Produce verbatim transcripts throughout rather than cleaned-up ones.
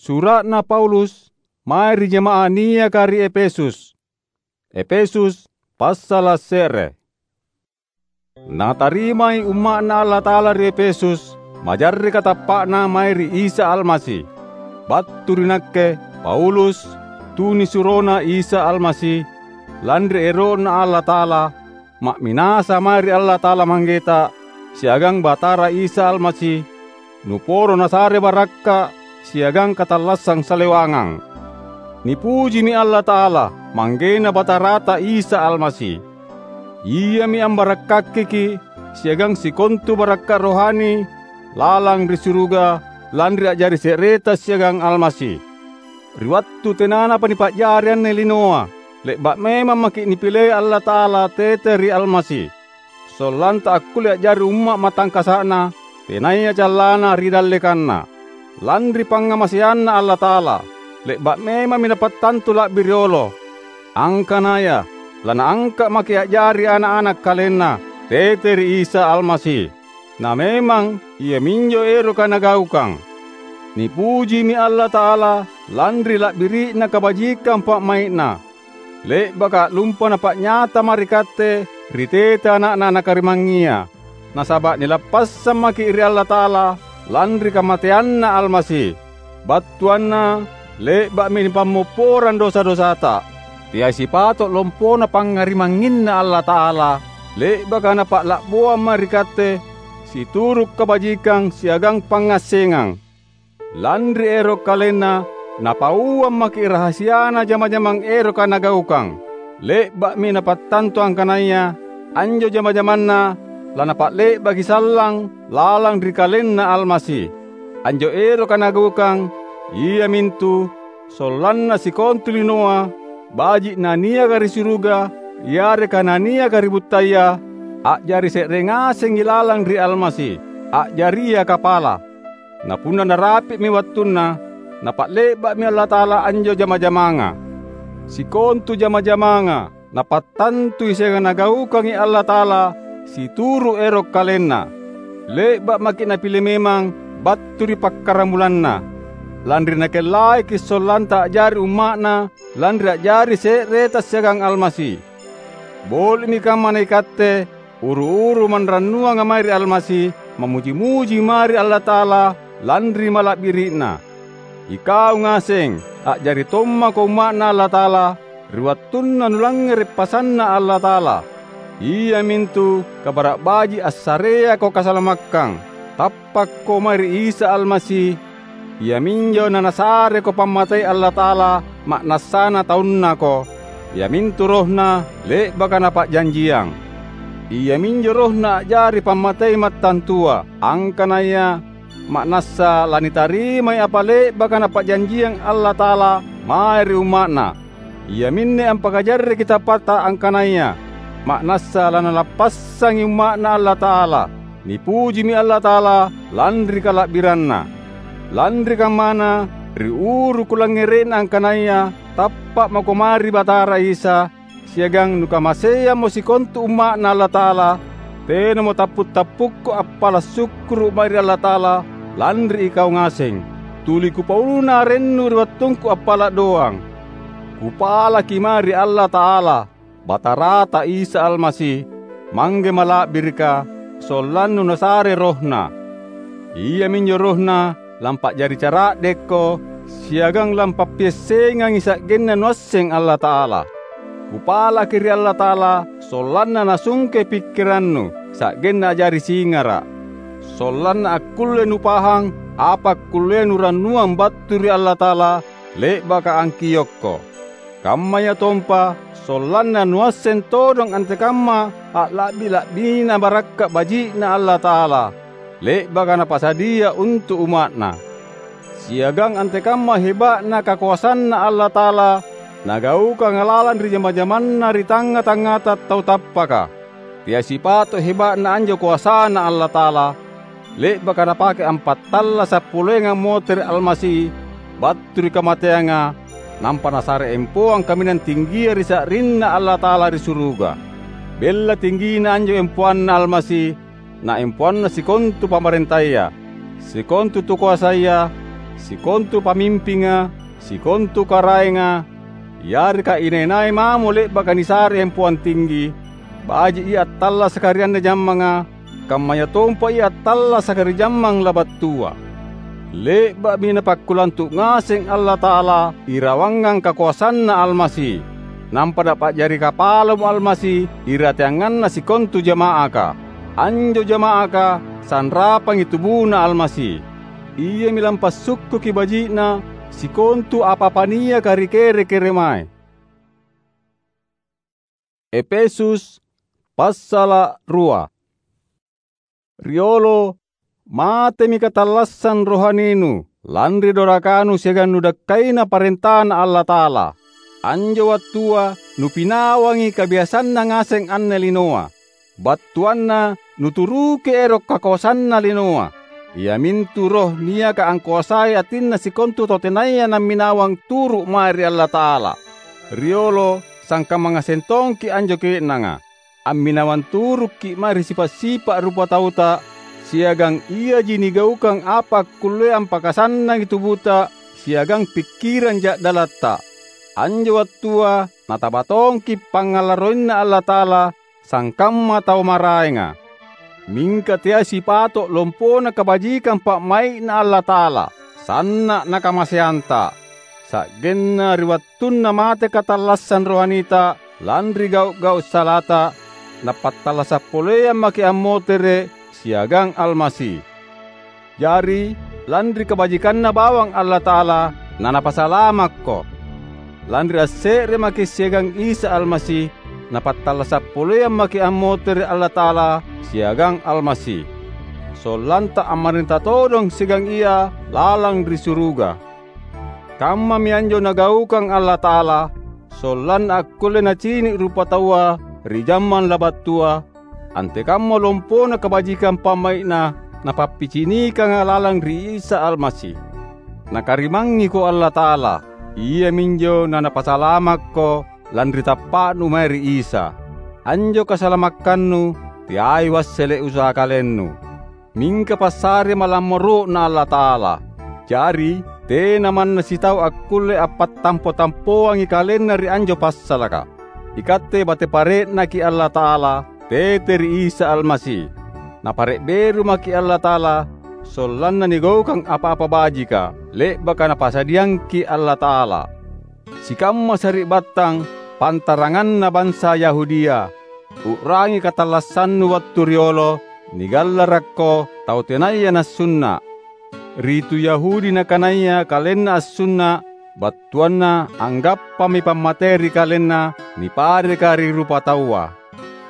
Sura'na Paulus mae ri jama'ah niaka ri Efesus. Efesus, passala’ se're. Natarimai umma'Na Allata'ala ri Efesus majarre’ katappa'na mae ri Isa Almasi. Battu ri nakke, Paulus, tunisuroNa Isa Almasi, lanri ero'Na Allata'ala, ma'minasa mae ri Allata'ala Manggeta siagang Batara Isa Almasi, nuporo nasare barakka’ siagang katallassang salewangang. Nipujimi Allata'ala, ManggeNa Batarata Isa Almasi. Iami ambarakkakiki’ siagang sikontu barakka’ rohani lalang ri suruga lanri a'jari se'reta siagang Almasi. Ri wattu tenanapa nipa'jari anne linoa, le'ba’ memang maki’ nipilei Allata'ala tete ri Almasi, sollanta akkulle a'jari umma’ matangkasa'Na, tenaya callana ri dallekanNa. Lanri pangngamaseanNa Allata'ala, le'ba’ memammi Napattantu la'bi riolo, angkanaya laNaangka’ maki’ a'jari ana’-ana’ KalenNa tete ri Isa Almasi. Na memang iaminjo eroka Nagaukang. Nipujimi Allata'ala lanri la'biri'na kabajikang pa'mai'Na. Le'baka a'lumpa Napa'nyata mae ri katte ri tete Ana'Na Nakarimangngia, nasaba’ nilappassang maki’ ri Allata'ala lanri kamateanNa Almasi, battuanna le'ba'mi nipammopporang dosa-dosata. Teai sipato’ lompona pangngarimangnginNa Allata'ala, le'baka Napa'la'boang mae ri katte situru’ kabajikang siagang pangngassengang. Lanri ero’ KalenNa, Napauang maki’ rahasiana jama-jamang eroka Nagaukang. Le'ba'mi Napattantu angkanaya anjo jama-jamanNa laNapa'le'baki sallang lalang ri KalenNa Almasi. Anjo eroka Nagaukang, iamintu sollanna sikontu linoa, baji’ naniaka ri suruga yareka naniaka ri buttaya, a'jari se're ngasengi lalang ri Almasi, a'jaria kapala. Na punna narapi'mi wattunna, Napa'le'ba'mi Allata'ala anjo jama-jamanga. Sikontu jama-jamanga Napattantui siagang Nagaukangi Allata'ala situru’ ero’ KalenNa. Le'ba’ maki’ Napile memang battu ri pakkaramulanna, lanri Nakellaiki’ sollanta a'jari umma'Na lanri a'jari se'reta siagang Almasi. Boli'mi kammana ikatte, uru-uru manrannuanga mae ri Almasi, mammuji-muji mae ri Allata'ala lanri mala'biri'Na. Ikau ngaseng, a'jari tommako umma'Na Allata'ala, ri wattunna nulangngere’ pasanNa Allata'ala, iamintu Kabara’ Baji’ assareako kasalamakkang. Tappakko mae ri Isa Almasi, iaminjo naNasareko pammatei Allata'ala ma'nassana taunnako, iamintu RohNa le'baka Napa'janjiang. Iaminjo RohNa a'jari pammatei mattantua, angkanaya ma'nassa lanitarimai apa le'baka Napa'janjiang Allata'ala mae ri umma'Na. Iaminne ampakajarreki tappata angkanaya ma'nassa laNalappassangi umma'Na Allata'ala. Nipujimi Allata'ala lanri kala'biranNa. Lanri kammana, ri uru kulangngere'na angkanaya tappa’ mako mae ri Batara Isa, siagang nukamaseammo sikontu umma'Na Allata'ala, tenamo tappu’-tappukku appala’ sukkuru’ mae ri Allata'ala lanri ikau ngaseng. Tuli kupauluna arennu ri wattungku appala’ doang. Kupalaki mae ri Allata'ala, Batarata Isa Almasi, Mangge Mala'birika, sollannu Nasare RohNa. Iaminjo RohNa lampa'jari cara'dekko siagang lampappiassengangi sa'genna nuasseng Allata'ala. Kupalaki ri Allata'ala sollanna Nasungkei pikkirannu, sa'genna a'jari singara’, sollanna akkulle nupahang apa akkullea nurannuang battu ri Allata'ala le'baka angkiokko. Kammayatompa sollanna nuasseng todong antekamma a'la'bi-la'bina barakka’ baji'Na Allata'ala, le'baka Napasadia untu’ umma'Na. Siagang antekamma heba'na kakoasanNa Allata'ala Nagaukanga lalang ri jama-jamanNa ri tangnga-tangngata tau tappaka. Teai sipato’ heba'na anjo koasaNa Allata'ala, le'baka Napake ampattallasa’ poleangang motere’ Almasi battu ri kamateanga, nampa Nasare empoang kaminang tinggia ri sa'rinNa Allata'ala ri suruga. Bella tinggina anjo empoanNa Almasi, na empoanna sikontu pamarentaya, sikontu tukoasaya, sikontu pamimpinga, sikontu karaenga, yareka inai-nai mamo le'baka nisare empoang tinggi, baji’ ia attallasaka ri anne jammanga, kammayatompa ia attallasaka ri jammang labattua. Le'ba'mi Napakkulantu’ ngaseng Allata'ala irawangang kakoasanNa Almasi, nampa Napa'jari kapalamo Almasi irateanganna sikontu jama'aka. Anjo jama'aka sanrapangi tubuna Almasi. Iami lampassukkuki baji'na sikontu apa-apa niaka ri kere-keremae. Efesus passala’ rua. Riolo, matemi katallassang rohaninu lanri dorakanu siagang nudakkaina parentaNa Allata'ala. Anjo wattua nupinawangi kabiasanna ngaseng anne linoa. Battuanna nuturuki ero’ kakoasanna linoa, iamintu roh niaka angkoasai atinna sikontu tau tenaya namminawang turu’ mae ri Allata'ala. Riolo sangkamma ngaseng tongki’ anjo ke'nanga. Amminawang turukki’ mae ri sipa’-sipa’ rupatauta, siagang iaji nigaukang apa akkullea ampakasannangi tubuta siagang pikkirang ja'dalatta. Anjo wattua nataba tongki’ pangngalarroinNa Allata'ala sangkamma tau maraenga. Mingka teai sipato’ lompona kabajikang pa'mai'Na Allata'ala, sanna’ na kamaseanta. Sa'genna ri wattunna mate katallassang rohanita lanri gau’-gau’ salata, nappattallasa’ poleang maki’ ammotere’ siagang Almasi. Jari, lanri kabajikanNa bawang Allata'ala, naNapasalamakko. Lanri asse're maki’ siagang Isa Almasi, napattallasa’ poleang maki’ ammotere’ Allata'ala siagang Almasi, sollanta ammarenta todong siagang Ia lalang ri suruga. Kammami anjo Nagaukang Allata'ala, sollanna akkulle Nacini’ rupataua ri jammang labattua, antekamma lompona kabajikang pa'mai'Na Napappicinikanga lalang ri Isa Almasi. Nakarimangiko Allata'ala, iaminjo naNapasalamakko lanri tappa'nu mae ri Isa. Anjo kasalamakkannu teai uassele’ usaha kalennu, mingka passare malammoro'Na Allata'ala. Jari, tena manna sitau akkulle appattampo-tampoangi kalenna ri anjo passalaka. Ikatte bate pare'naki Allata'ala, tete ri Isa Almasi. Napare’ beru maki’ Allata'ala, sollanna nigaukang apa-apa bajika, le'baka Napasadiangki Allata'ala. Sikamma sari'battang pantaranganna bansa Yahudia, u'rangi katallassannu wattu riolo, nigallarakko tau tenaya nassunna’. Ri tu Yahudi nakanaya kalenna assunna’, battuanna anggappami pammatei ri kalenna nipareka ri rupataua.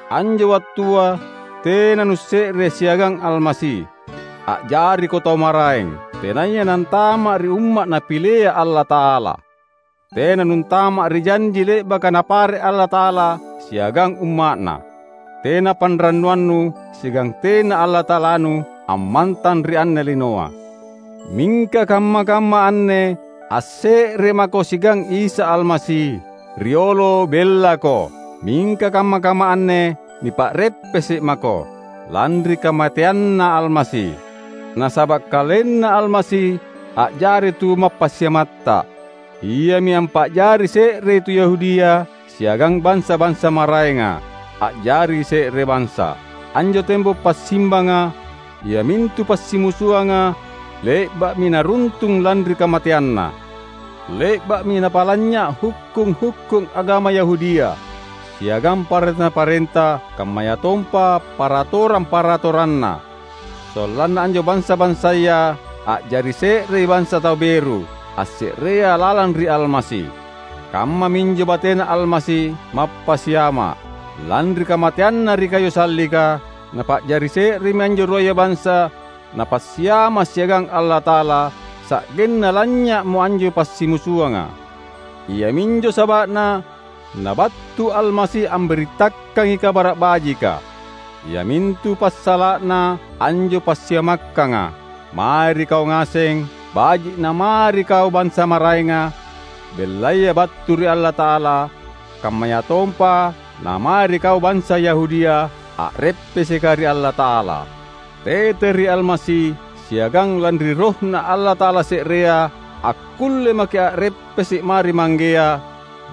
Anjo wattua tena nusse're siagang Almasi. A'jariko tau maraeng, tenaya nantama’ ri umma’ Napilea Allata'ala. Tena nuntama’ ri janji le'baka Napare’ Allata'ala siagang umma'Na. Tena panrannuannu siagang tena Allata'alanu ammantang ri anne linoa. Mingka kamma-kamma anne asse're mako siagang Isa Almasi, riolo bellako, mingka kamma-kamma anne nipa'reppese’ mako, lanri kamateanNa Almasi. Nasaba’ KalenNa Almasi a'jari tu mappassiamatta. Iami ampa'jari se'rei tu Yahudia siagang bansa-bansa maraenga, a'jari se're bansa. Anjo tembok passimbanga, iamintu passimusuanga, le'ba'mi naruntung lanri kamateanna. Le'ba'mi napalanynya’ hukkung-hukkung agama Yahudia, siagang parenta-parenta, kammayatompa paratorang-paratoranna. Sollanna anjo bansa-bansaya a'jari se'rei bansa tau beru, asse'rea lalang ri Almasi. Kammaminjo batena Almasi mappasiama’. Lanri kamateanNa ri kayu sallika, Napa'jari se'remi anjo ruaya bansa Napassiama’ siagang Allata'ala, sa'genna lanynya'mo anjo passimusuanga. Iaminjo saba'na nabattu Almasi ambirittakangi Kabara’ Bajika, iamintu passala'na anjo passiamakkanga, mae ri kau ngaseng, baji’ na mae ri kau bansa maraenga, bellaya battu ri Allata'ala, kammayatompa na mae ri kau bansa Yahudia a'reppeseka ri Allata'ala. Tete ri Almasi siagang lanri RohNa Allata'ala se'rea, akkulle maki’ a'reppese’ mae ri Manggea,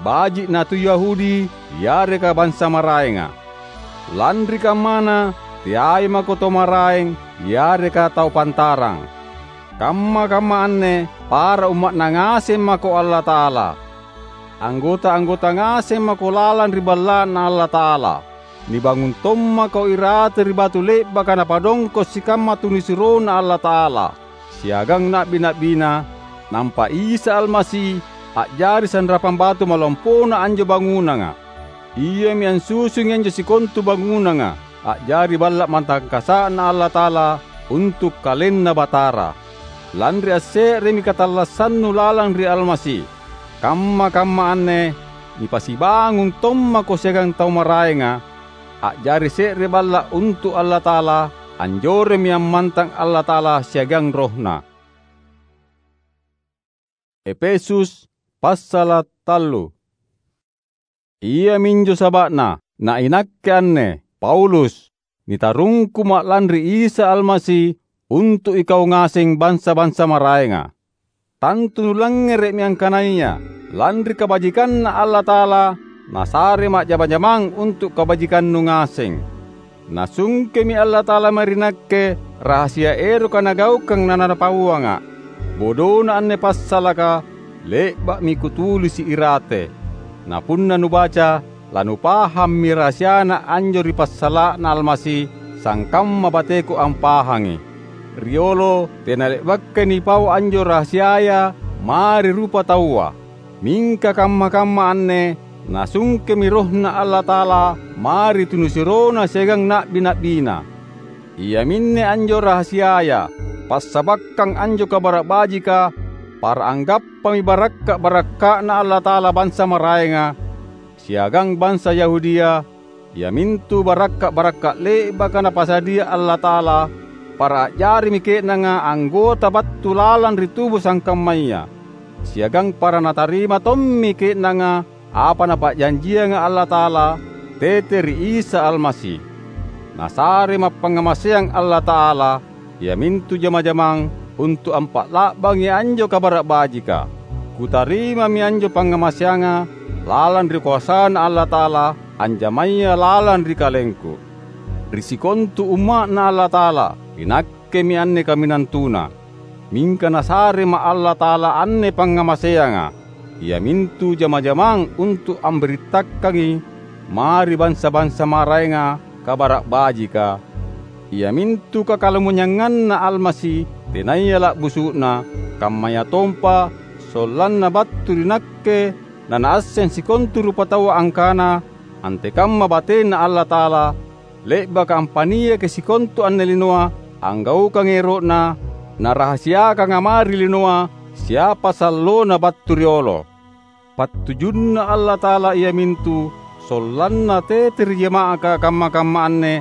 baji’ na tu Yahudi yareka bansa maraenga. Lanri kammana, teai mako tau maraeng yareka tau pantarang. Kamma-kamma anne para umma'Na ngaseng mako Allata'ala. Anggota-anggota ngaseng mako lalang ri Balla'Na Allata'ala. Nibangung tommako irate ri batu le'baka Napadongko’ sikamma tunisuroNa Allata'ala siagang na'bi-na'biNa, nampa Isa Almasi a'jari sanrapang batu malompona anjo bangunanga. Iami ansusungi anjo sikontu bangunanga a'jari balla’ matangkasa'Na Allata'ala untu’ KalenNa Batara. Lanri asse'remi katallassannu lalang ri Almasi. Kamma-kamma anne nipasibangung tommako siagang tau maraenga, a'jari se're balla’ untu’ Allata'ala, anjoremmi ammantang Allata'ala siagang RohNa. Epesus, passala’ tallu. Iaminjo saba'na, na inakke anne, Paulus, nitarungkuma’ lanri Isa Almasi untu’ ikau ngaseng bansa-bansa maraenga. Tantu nulangngere'mi angkanaya lanri kabajikanNa Allata'ala, Nasarema’ jama-jamang untu’ kabajikannu ngaseng. Nasungkemi Allata'ala mae ri nakke rahasia eroka Nagaukang naNapauanga’. Bodona anne passalaka le'ba'mi kutulisi’ irate. Na punna nubaca, lanupahammi rahasiana anjo ri passala'na Almasi, sangkamma bateku ampahangi. Riolo tena le'bakai nipau anjo rahasiaya mae ri rupataua. Mingka kamma-kamma anne nasungkemi RohNa Allata'ala mae ri tunisuroNa siagang na'bi-na'biNa. Iaminne anjo rahasiaya: Passabakkang anjo Kabara’ Bajika, para anggappami barakka’-barakka'Na Allata'ala bansa maraenga, siagang bansa Yahudia, iamintu barakka’-barakka’ le'baka Napasadia Allata'ala, para a'jarimi ke'nanga anggota battu lalang ri tubu sangkammaya, siagang para natarima tommi ke'nanga apa Napa'janjianga Allata'ala tete ri Isa Almasi. Nasarema’ pangngamaseang Allata'ala, iamintu jama-jamang untu’ ampa'la'bangi anjo Kabara’ Bajika. Kutarimami anjo pangngamaseanga lalang ri koasaNa Allata'ala anjamaya lalang ri kalengku. Ri sikontu umma'Na Allata'ala, inakkemi anne kaminang tuna. Mingka Nasarema’ Allata'ala anne pangngamaseanga, iamintu jama-jamang untu’ ambirittakangi mae ri bansa-bansa maraenga Kabara’ Bajika, iamintu kakalamonyanganNa Almasi tenaya la'busu'na, kammayatompa sollanna battu ri nakke nanaasseng sikontu rupataua angkana antekamma bateNa Allata'ala, le'baka ampaniaki sikontu anne linoa anggaukangi ero'Na, narahasiakanga mae ri linoa siapa sallona battu riolo. PattujunNa Allata'ala iamintu sollanna tete ri jama'aka kamma-kamma anne,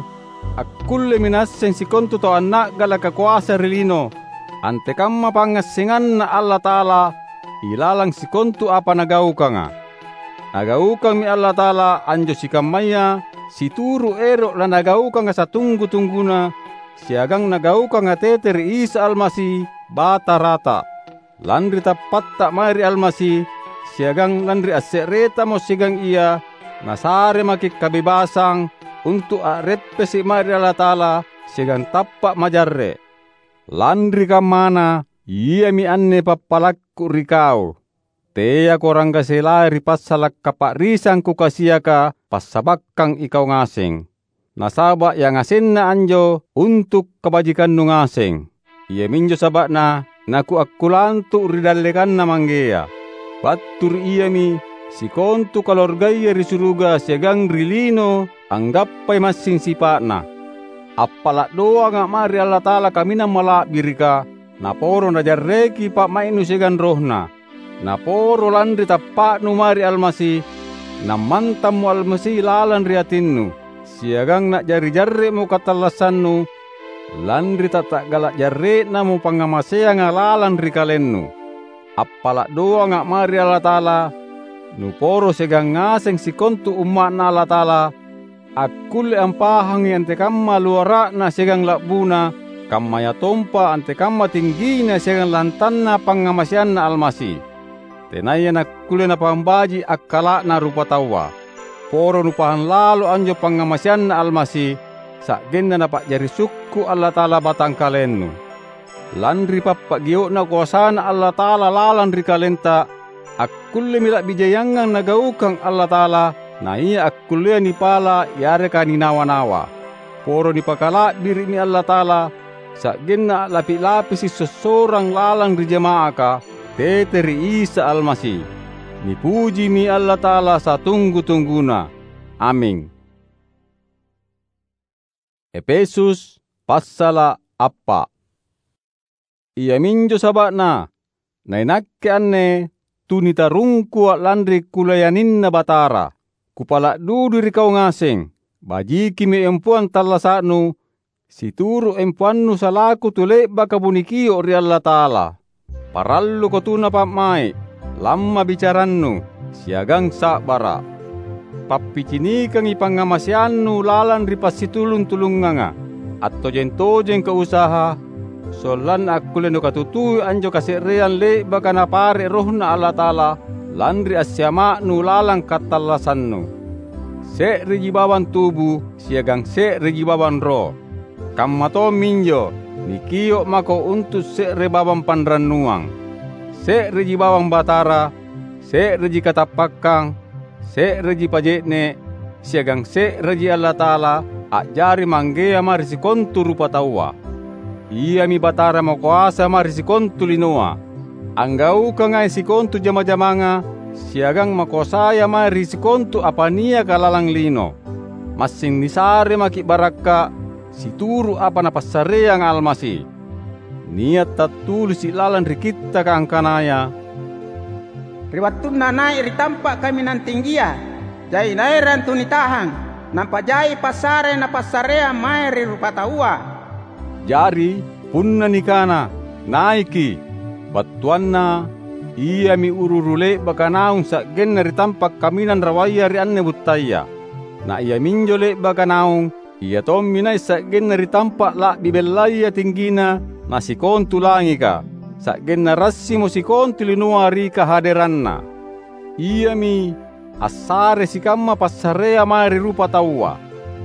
akkullemi naasseng sikontu tau anna'galaka koasa ri lino, antekamma pangngassenganNa Allata'ala ilalang sikontu apa Nagaukanga. Nagaukangmi Allata'ala anjo sikammaya situru’ ero’ laNagaukanga satunggu-tungguna, siagang Nagaukanga tete ri Isa Almasi, Batarata. Lanri tappatta mae ri Almasi, siagang lanri asse'retamo siagang Ia, Nasare maki’ kabebasang untu’ a'reppese’ mae ri Allata'ala siagang tappa’ majarre’. Lanri kammana, iami anne pappalakku ri kau: Teako ranggaselai ri passala’ kapa'risang kukasiaka passabakkang ikau ngaseng. Nasaba’ yangasenna anjo untu’ kabajikannu ngaseng. Iaminjo saba'na nakuakkulantu’ ri dallekanNa Manggea. Battu ri Iami sikontu kaluargaya ri suruga siagang ri lino anggappai massing sipa'Na. Appala’ doanga’ mae ri Allata'ala Kaminang Mala'birika, Naporo Najarreki pa'mai'nu siagang RohNa. Naporo lanri tappa'nu mae ri Almasi, nammantammo Almasi lalang ri atinnu, siagang na'jari jarre'mo katallassannu, lanri tatta'gala’ jarre'namo pangngamaseanga lalang ri kalennu. Appala’ doanga’ mae ri Allata'ala, nuporo siagang ngaseng sikontu umma'Na Allata'ala, akkulle ampahangi antekamma luara'na siagang la'buna, kammayatompa antekamma tinggina siagang lantanna pangngamaseanNa Almasi. Tenaya nakkulle napambaji akkala'na rupataua. Poro nupahang lalo anjo pangngamaseanNa Almasi, sa'genna Napa'jari sukku’ Allata'ala batangkalennu. Lanri pappagio'na koasaNa Allata'ala lalang ri kalenta, akkullemi la'bi jaiangang Nagaukang Allata'ala, naia akkullea nipala’ yareka ninawa-nawa. Poro nipakala'biri'mi Allata'ala, sa'genna a'lapi-lapisi’ sossorang lalang ri jama'aka, tete ri Isa Almasi. Nipujimi Allata'ala satunggu-tungguna. Aming. Epesus passala’ appa’. Iaminjo saba'na, nainakke anne tunitarungkua’ lanri kulayaninNa Batara. Kupala’ dudui ri kau ngaseng, bajikimi empoang tallasa'nu, situru’ empoannu salaku tu le'baka munikio’ ri Allata'ala. Paralluko tuna pa'mai’, lamma bicarannu, siagang sa'bara’. Pappicinikangi pangngamaseannu lalang ri passitulung-tulunganga. Attojeng-tojengko usaha, sollanna akkulle nukatutui anjo kase'reang le'baka Napare’ RohNa Allata'ala lanri assiama'nu lalang kattallasannu. Se'reji bawang tubu siagang se'reji bawang roh. Kamma tomminjo nikio’ mako untu’ se're bawang panrannuang. Se'reji bawang Batara, se'reji katappakkang, se'reji paje'ne’, siagang se'reji Allata'ala a'jari Manggea mae ri sikontu rupataua. Iami Batara makoasa mae ri sikontu linoa. Anggaukangai sikontu jama-jamanga siagang makoasaya mae ri sikontu apa niaka lalang lino. Massing nisare maki’ barakka’ situru’ apa Napassareanga Almasi. Nia’ tattulisi’ lalang ri Kittaka angkanaya, "Ri wattunna nai’ ri tampa’ kaminang tinggia, jai naerang tu nitahang, nampa jai passare napassareang mae ri rupataua." Jari, punna nikana, "Naiki’," battuanna, iami uru-uru le'baka naung sa'genna ri tampa’ kaminang rawaya ri anne buttaya. Na iaminjo le'baka naung, ia tommi nai’ sa'genna ri tampa’ la'bi bellaya tinggina na sikontu langika, sa'genna rassimo sikontu linoa ri kahaderanNa. Iami assare sikamma passarea mae ri rupataua.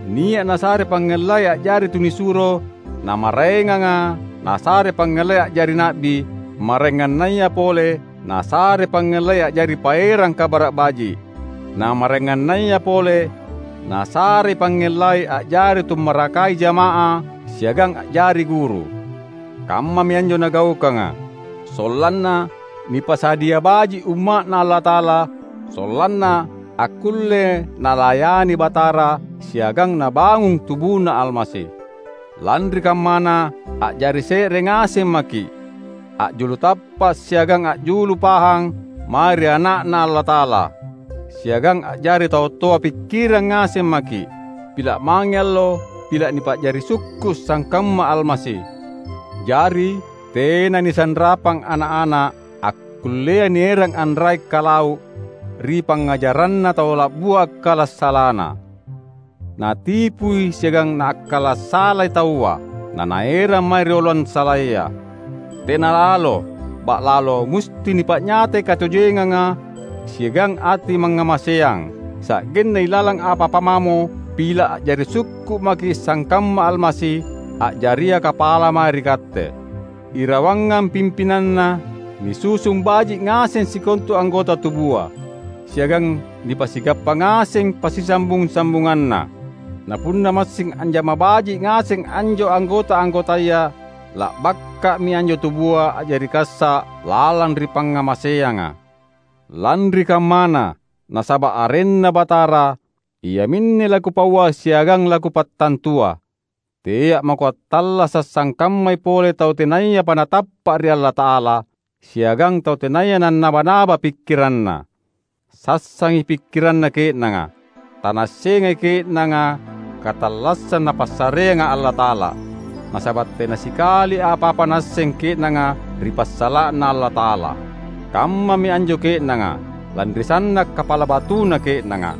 Nia’ nasare pangngellai a'jari tunisuro, na maraenganga nasare pangngellai a'jari na'bi, maraengannaya pole nasare pangngellai a'jari paerang Kabara’ Baji’, na maraengannaya pole nasarei pangngellai a'jari tummarakai jama'ah siagang a'jari guru. Kammami anjo nagaukanga, sollanna nipasadia baji’ umma'Na Allata'ala, sollanna akkulle nalayani Batara siagang nabangung tubuNa Almasi. Lanri kammana, a'jari se're ngaseng maki’, a'julu tappa’ siagang a'julu pahang mae ri Ana'Na Allata'ala, siagang a'jari tau toa pikkirang ngaseng maki’. Pila’ mange allo, pila’ nipa'jari sukku’ sangkamma Almasi. Jari, tena nisanrapang ana’-ana’ akkullea nierang anrai’ kalau ri pangngajaranna tau la'bua akkalassalana. Natipui siagang naakkala’ salai taua, nanaerang mae ri oloang salaya. Tena lalo, ba'lalo musti nipa'nyatai katojenganga siagang ati mangngamaseang, sa'genna ilalang apa-apa mamo pila’ a'jari sukku’ maki’ sangkamma Almasi a'jaria kapala mae ri katte. Irawangang pimpinanna, nisusung baji’ ngaseng sikontu anggota tubua, siagang nipasigappa ngaseng passisambung-sambunganna. Na punna massing anjama baji’ ngaseng anjo anggota-anggotaya, la'bakka'mi anjo tubua a'jari kassa’ lalang ri pangngamaseanga. Lanri kammana, nasaba’ arenNa Batara, iaminne lakupaua siagang lakupattantua. Tea’ mako attallasa’ sangkammai pole tau tenayapa natappa’ ri Allata'ala, siagang tau tenaya nannaba-naba pikkiranna. Sassangi pikkiranna ke'nanga. Tanaassengai ke'nanga katallassang Napassareanga Allata'ala, nasaba’ tena sikali apa-apa naasseng ke'nanga ri passala'na Allata'ala. Kammami anjo ke'nanga, lanri sanna’ kapala batuna ke'nanga.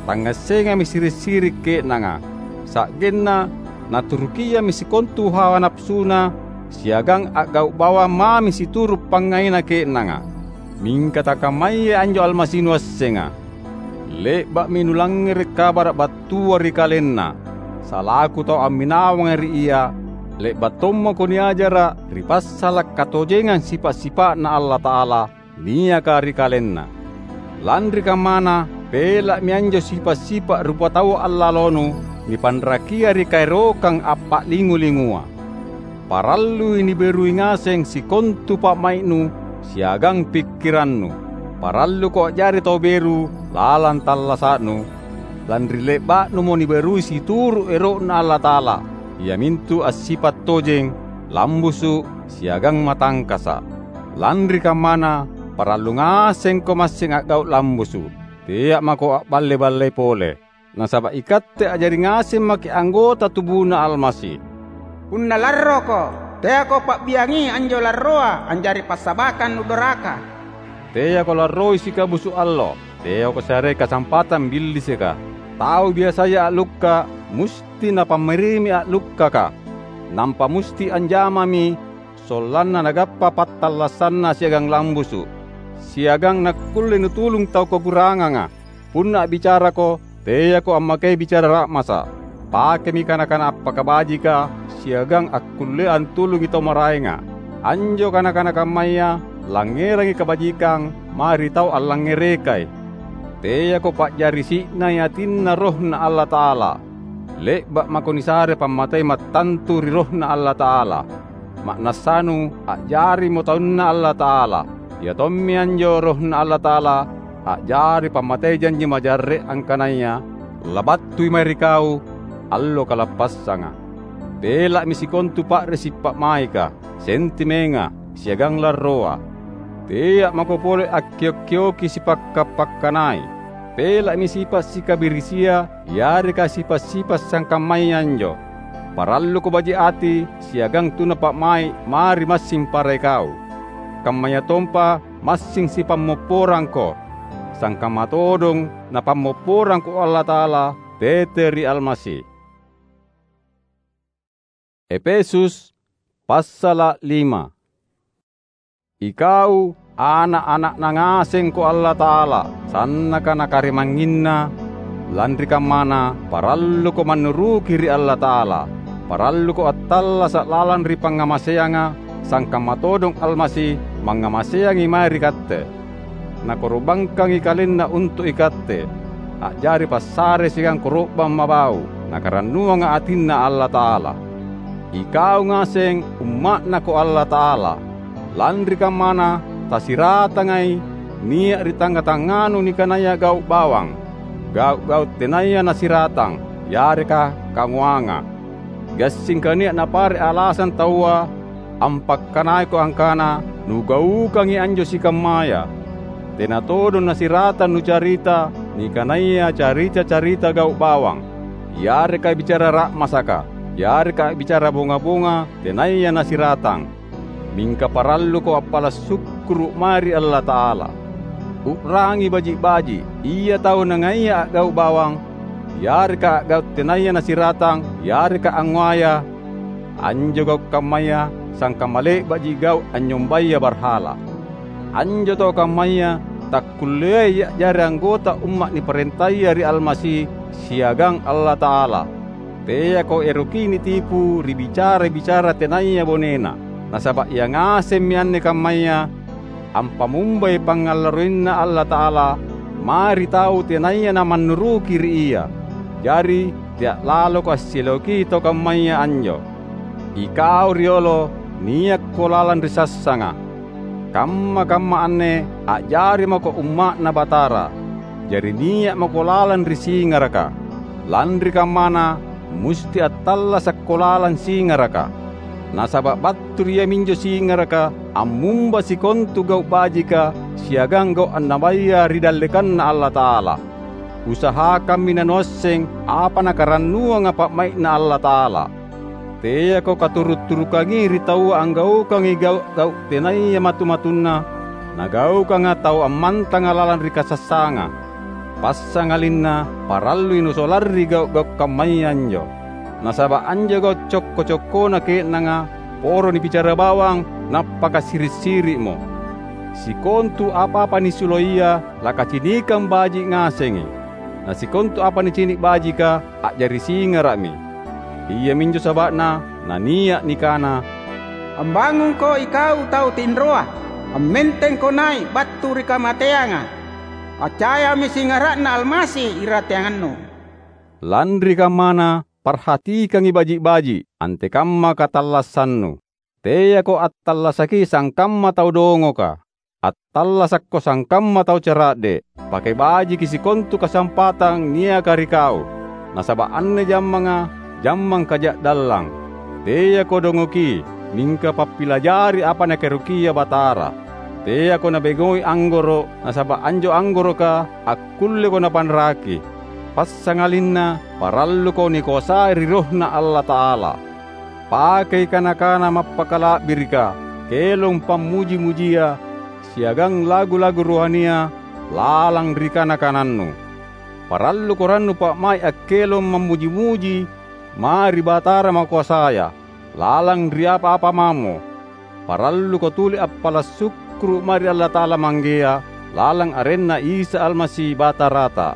Tangngassengami siri’-siri’ ke'nanga, sa'genna Naturukiammi sikontu hawa napasuna siagang a'gau’ bawang mami situru’ pangngaina ke'nanga. Mingka takammayaji anjo Almasi nuassenga. Le'ba'mi nulangngere’ kabara’ battua ri KalenNa. Salaku tau amminawanga ri Ia, le'ba’ tommako niajara’ ri passala’ katojengang sipa’-sipa'Na Allata'ala niaka ri KalenNa. Lanri kammana, pela'mi anjo sipa’-sipa’ rupataua allalonu nipanrakia ri kaerokang appa'lingu-lingua. Parallui niberui ngaseng sikontu pa'mai'nu siagang pikkirannu. Paralluko a'jari tau beru lalang tallasa'nu, lanri le'ba'numo niberui situru’ ero'Na Allata'ala, iamintu assipa’ tojeng, lambusu’, siagang matangkasa’. Lanri kammana, parallu ngasengko massing a'gau’ lambusu’. Tea’ mako a'balle-ballei pole. Nasaba’ ikatte a'jari ngaseng maki’ anggota tubuNa Almasi. Punna larroko, teako pa'biangi anjo larroa a'jari passabakang nudoraka. Teako larroi sikabusu’ allo, teako searei kasampatang Billisika. Tau biasaya a'lukka’ musti napammarimi a'lukkaka, nampa musti anjamami sollanna nagappa pattallassanna siagang lambusu’, siagang nakkulle nutulung tau kakuranganga. Punna a'bicarako, teako ammakei bicara ra'masa’. Pakemi kana-kana appakabajika siagang akkullea antulungi tau maraenga. Anjo kana-kana kammaya langngerangi kabajikang mae ri tau allangngerekai. Teako pa'jari si'nai atinna RohNa Allata'ala. Le'ba’ mako nisare pammatei mattantu ri RohNa Allata'ala. Ma'nassanu, a'jarimo taunNa Allata'ala. Ia tommi anjo RohNa Allata'ala a'jari pammatei janji majarre’ angkanaya labattui mae ri kau allo kalappassanga. Pela'mi sikontu pa'risi’ pa'maika, sentimenga, siagang larroa. Tea’ mako pole akkio’-kioki sipakka’-pakkanai. Pela'mi sipa’ sikabirisia yareka sipa’-sipa’ sangkammaya anjo. Paralluko baji’ ati siagang tuna pa'mai’ mae ri massing para ikau. Kammayatompa massing sipammopporangko, sangkamma todong Napammopporangko Allata'ala tete ri Almasi. Epesus, passala’ lima. Ikau, ana’-ana'Na ngasengko Allata'ala, sannaka na karimangnginna, lanri kammana, paralluko mannuruki ri Allata'ala. Paralluko attallasa’ lalang ri pangngamaseanga, sangkamma todong Almasi mangngamaseangi mae ri katte. Nakoro'bangkangi KalenNa untu’ ikatte, a'jari passare siagang koro'bang mabau’, Nakarannuanga atinNa Allata'ala. Ikau ngaseng umma'Nako Allata'ala. Lanri kammana, tasiratangai nia’ ri tangnga-tangnganu nikanaya gau’ bawang, gau’-gau’ tenaya nasiratang, yareka kangoanga. Gassingka nia’ napare’ alasang taua ampakkanaiko angkana, "Nugaukangi anjo sikammaya." Tena todong nasiratang nucarita nikanaya carita-carita gau’ bawang, yareka bicara ra'masaka, yareka a'bicara bonga-bonga tenaya nasiratang. Mingka paralluko appala’ sukkuru’ mae ri Allata'ala. U'rangi baji’-baji’ ia tau nangaia a'gau’ bawang, yareka a'gau’ tenaya nasiratang, yareka angngoaya. Anjo gau’ kammaya sangkamma le'ba'ji gau’ anynyombaya barhala. Anjo tau kammaya takkulleai a'jari anggota umma’ niparentaya ri Almasi siagang Allata'ala. Teako eroki nitipu ri bicara-bicara tenaya bonena, nasaba’ ia ngasemmi anne kammaya ampamumbai pangngallaroinNa Allata'ala mae ri tau tenaya namannuruki ri Ia. Jari, tea’ laloko assiloki tau kammaya anjo. Ikau riolo, niakko lalang ri sassanga. Kamma-kamma anne a'jari mako umma'Na Batara, jari nia’ mako lalang ri singaraka. Lanri kammana, musti attallasakko lalang singaraka. Nasaba’ battu ri iaminjo singaraka ammumba sikontu gau’ bajika siagang gau’ annabaya ri dallekanNa Allata'ala. Usahakammi nanuasseng apa Nakarannuanga pa'mai'Na Allata'ala. Teako katuru’-turukangi ri taua anggaukangi gau’-gau’ tenaya matu-matunna, nagaukanga tau ammantanga lalang ri kasassanga. Passangalinna parallui nusolarri gau’-gau’ kammaya anjo. Nasaba’ anjo gau’ cokko-cokkona ke'nanga poro nibicara bawang nappakasiri’-siri'mo. Sikontu apa-apa nisuloia lakacinikang baji’ ngasengi, na sikontu apa nicini’ bajika a'jari singara'mi. Iaminjo saba'na nania’ nikana, "Ambangungko ikau tau tinroa, ammentengko nai’ battu ri kamateanga. Accayami singara'Na Almasi irateangannu." Lanri kammana, parhatikangi baji’-baji’ antekamma katallassannu. Teako attallasaki sangkamma tau dongoka. Attallasakko sangkamma tau cara'de’. Pake bajiki sikontu kasampatang niaka ri kau, nasaba’ anne jammanga jammang kaja'dallang. Teako dongoki, mingka pappilajari apa Nakaerokia Batara. Teako nabengoi anggoro’, nasaba’ anjo anggoroka akkulleko napanraki. Passangalinna paralluko nikoasai ri RohNa Allata'ala. Pakei kana-kana mappakala'birika, kelong pammuji-mujia, siagang lagu-lagu rohania lalang ri kana-kanannu. Paralluko rannu pa'mai’ akkelong mammuji-muji mae ri Batara Makoasaya, lalang ri apa-apa mamo. Paralluko tuli appala’ sukkuru’ mae ri Allata'ala Manggea, lalang arenNa Isa Almasi Batarata.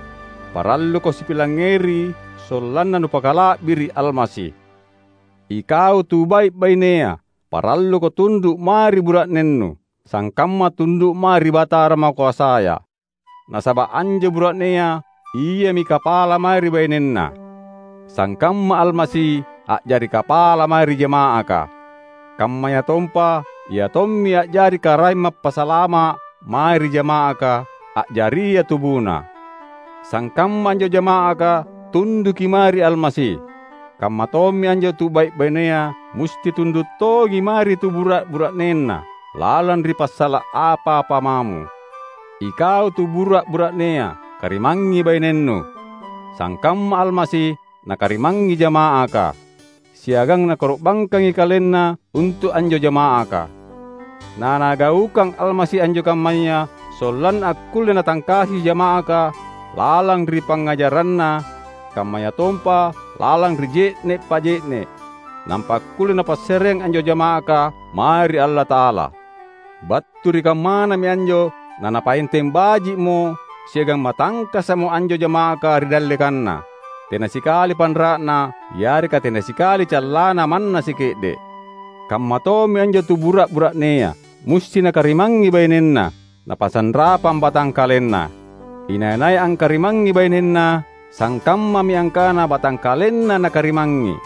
Paralluko sipilangngeri sollanna nupakala'biri’ Almasi. Ikau tu bai’-bainea, paralluko tundu’ mae ri bura'nennu, sangkamma tundu’ mae ri Batara Makoasaya. Nasaba’ anjo bura'nea iami kapala mae ri bainenna, sangkamma Almasi a'jari kapala mae ri jama'aka. Kammayatompa Ia tommi a'jari Karaeng Mappasalama’ mae ri jama'aka, a'jaria tubuna. Sangkamma anjo jama'aka tunduki mae ri Almasi, kamma tommi anjo tu bai’-bainea musti tundu’ tongi mae ri tu bura’-bura'nenna lalang ri passala’ apa-apa mamo. Ikau tu bura’-bura'nea, karimangngi bainennu, sangkamma Almasi nakarimangngi jama'aka, siagang nakoro'bangkangi KalenNa untu’ anjo jama'aka. Na Nagaukang Almasi anjo kammaya sollanna akkulle natangkasi jama'aka lalang ri pangngajaranna, kammayatompa lalang ri je'ne’ paje'ne’, nampa akkulle napassareang anjo jama'aka mae ri Allata'ala. Battu ri kammanami anjo naNapaenteng baji'mo siagang matangkasa'mo anjo jama'aka ri dallekanna. Tena sikali panra'na yareka tena sikali callana manna sike'de’. Kamma tommi anjo tu bura’-bura'nea musti nakarimangngi bainenna, napasanrapang batangkalenna. Inai-nai angkarimangngi bainenna, sangkammami angkana batangkalenna nakarimangngi.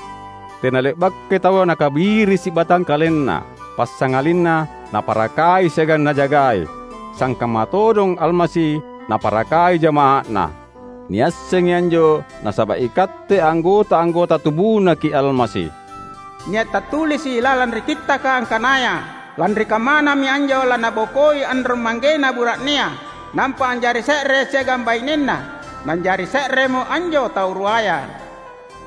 Tena le'bakai taua nakabirisi batangkalenna, passangalinna naparakai siagang najagai, sangkamma todong Almasi naparakai jama'a'Na. Niassengi anjo nasaba’ ikatte anggota-anggota tubunaki Almasi. Nia’ tattulisi’ lalang ri Kittaka angkanaya, "Lanri kammanami anjo lanabokoi anrong manggena bura'nea, nampa anjari se're siagang bainenna, nanjari se'remo anjo tau ruaya."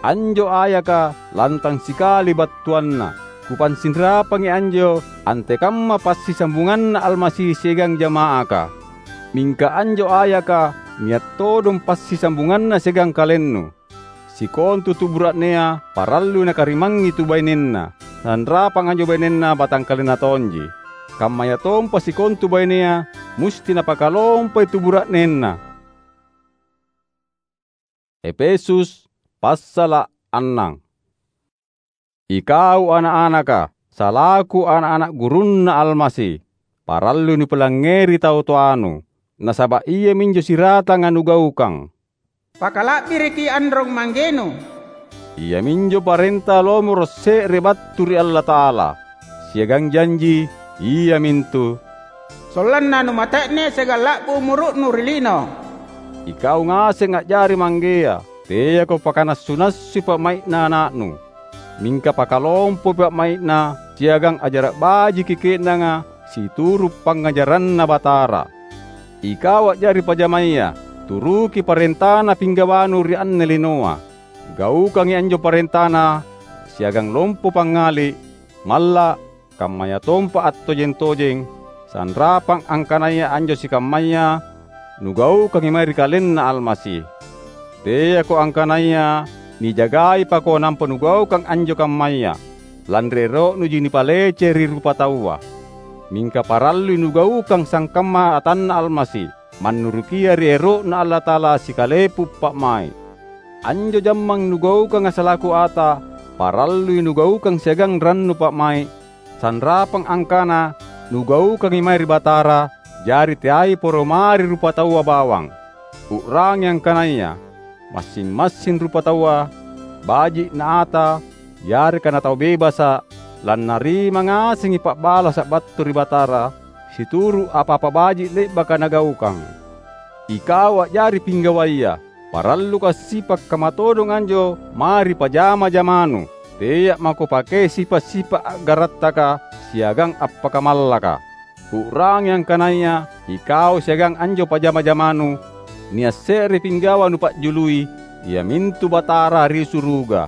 Anjo ayaka lantang sikali battuanna. Kupansinrapangi anjo antekamma passisambunganna Almasi siagang jama'aka. Mingka anjo ayaka nia’ todong passisambunganna siagang kalennu. Sikontu tu bura'nea parallui nakarimangngi tu bainenna, sanrapang anjo bainenna batangkalenna tonji. Kammayatompa sikontu bainea musti napakalompoi tu bura'nenna. Efesus passala’ annang. Ikau ana’-anaka, salaku ana’-ana’ gurunNa Almasi, parallui nupilangngeri tau toanu, nasaba’ iaminjo siratanga nugaukang. Pakala'biriki anrong manggenu. Iaminjo parenta lomoro’ se're battu ri Allata'ala, siagang janji iamintu, "Sollanna numate'ne siagang la'bu umuru'nu ri lino." Ikau ngaseng a'jari manggea, teako pakanassu-nassui pa'mai'na ana'nu. Mingka pakalompopi pa'mai'na siagang a'jara’ bajiki ke'nanga situru’ pangngajaranNa Batara. Ikau a'jari pajamaya, turuki parentana pinggawanu ri anne linoa. Gaukangi anjo parentana siagang lompo pangngali’, malla’, kammayatompa attojeng-tojeng, sanrapang angkanaya anjo sikammaya nugaukangi mae ri KalenNa Almasi. Teako angkanaya Nijagaipa-ko nampa nugaukang anjo kammaya, lanri ero'nuji nipalece ri rupataua. Mingka parallui nugaukang sangkamma atanNa Almasi, mannurukia ri ero'Na Allata'ala sikalepu pa'mai’. Anjo jammang nugaukanga salaku ata, parallui nugaukang siagang rannu pa'mai’, sanrapang angkana nugaukangi mae ri Batara, jari teai poro mae ri rupataua bawang. U'rangi angkanaya massing-massing rupataua, baji’ na ata yareka na tau bebasa’, lannarima ngasengi pa'balasa’ battu ri Batara, situru’ apa-apa baji’ le'baka nagaukang. Ikau a'jari pinggawaya, paralluko assipa’ kamma todong anjo mae ri pajama-jamanu. Tea’ mako pakei sipa’-sipa’ a'garattaka siagang appakamallaka. U'rangi angkanaya ikau siagang anjo pajama-jamanu, nia’ se're pinggawa nupa'jului, iamintu Batara ri suruga.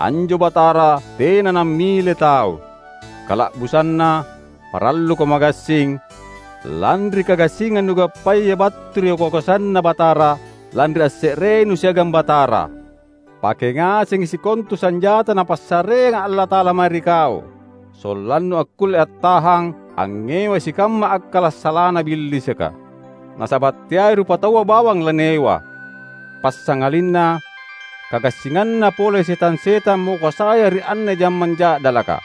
Anjo Batara tena nammile tau. Kala'busanna, paralluko magassing, lanri kagassingang nugappaya battu ri kakoasanNa Batara, lanri asse'renu siagang Batara. Pake ngasengi sikontu sanjata Napassareanga Allata'ala mae ri kau, sollannu akkulle attahang angngewai sikamma akkala’ salana Billisika. Nasaba’ teai rupataua bawang laniewa. Passangalinna kagassinganna pole setang-setang makoasaya ri anne jammang ja'dalaka.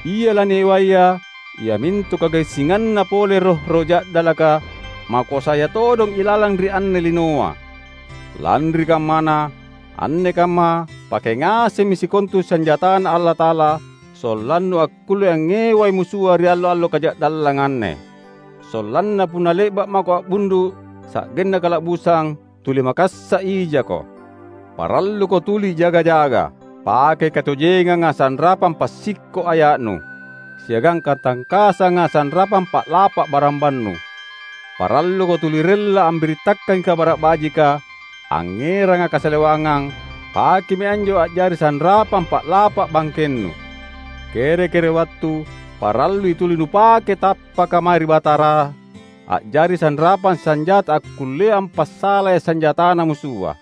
Ia laniewaya, iamintu kagassinganna pole roh-roh ja'dalaka, makoasaya todong ilalang ri anne linoa. Lanri kammana, anne kamma pake ngasemmi sikontu sanjataNa Allata'ala, sollannu akkulle angngewai musua ri allo-allo kaja'dallanga anne. Sollanna punna le'ba’ mako a'bundu’ sa'genna kala'busang, tuli makassa’ ijako. Paralluko tuli jaga-jaga. Pakei katojenganga sanrapang passikko’ aya'nu, siagang katangkasanga sanrapang pa'lapa’ barambannu. Paralluko tuli rella ambirittakangi Kabara’ Bajika, angngeranga kasalewangang, pakemi anjo a'jari sanrapang pa'lapa’ bangkennu. Kere-kere wattu parallui tuli nupake tappaka mae ri Batara, a'jari sanrapang sanjata akkullea ampassalai sanjatana musua.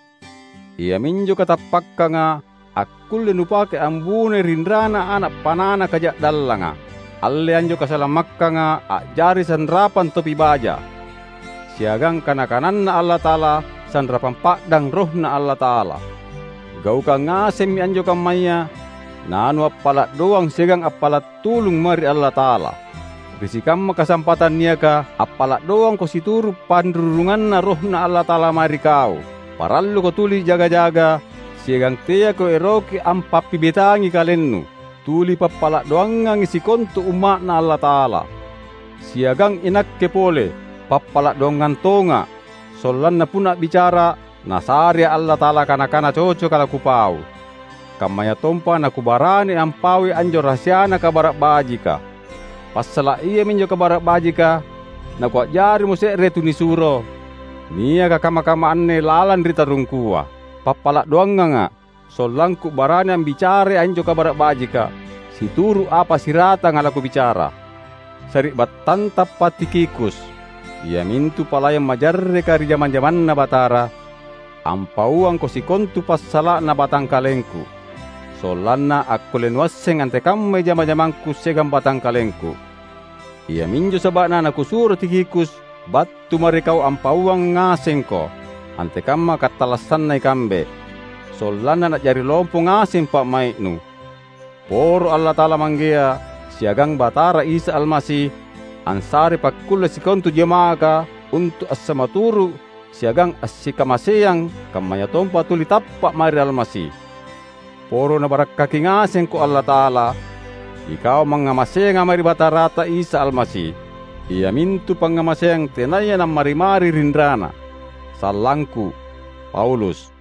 Iaminjo katappakkanga akkulle nupake ambunoi rinrana ana’ panana kaja'dallanga. Alle anjo kasalamakkanga a'jari sanrapang topi baja. Siagang kana-kananNa Allata'ala, sanrapang pa'dang RohNa Allata'ala. Gaukang ngasemmi anjo kammaya, nanuappala’ doang siagang appala’ tulung mae ri Allata'ala. Ri sikamma kasampatang niaka appala’ doangko situru’ panrurunganna RohNa Allata'ala mae ri kau. Paralluko tuli jaga-jaga, siagang teako eroki ampappibetangi kalennu. Tuli pappala’ doangangi sikontu umma'Na Allata'ala. Siagang inakke pole, pappala’ doangang tonga’, sollanna punna a'bicara, NasareA’ Allata'ala kana-kana cocoka lakupau. Kammayatompa nakubarani ampaui anjo rahasiana Kabara’ Bajika. Passala’ iaminjo Kabara’ Bajika, nakua'jarimo se're tunisuro, niaka kamma-kamma anne lalang ri tarungkua. Pappala’ doanganga’, sollangku barani ambicarai anjo Kabara’ Bajika, situru’ apa siratanga lakubicara. Sari'battantappa Tikhikus, iamintu palayang majarreka ri jama-jamanNa Batara, ampauangko sikontu passala'na batangkalengku, sollanna akkulle nuasseng antekammai jama-jamangku siagang batangkalengku. Iaminjo saba'na nakusuro Tikhikus battu mae ri kau ampauang ngasengko antekamma katallassanna ikambe, sollanna na'jari lompo ngaseng pa'mai'nu. Poro Allata'ala Manggea siagang Batara Isa Almasi ansarei pakkulle sikontu jama'aka untu’ assamaturu’ siagang assikamaseang, kammayatompa tuli tappa’ mae ri Almasi. Poro Nabarakkaki ngasengko Allata'ala, ikau mangngamaseanga mae ri Batarata Isa Almasi, iamintu pangngamaseang tenaya nammari-mari rinrana. Sallangku, Paulus.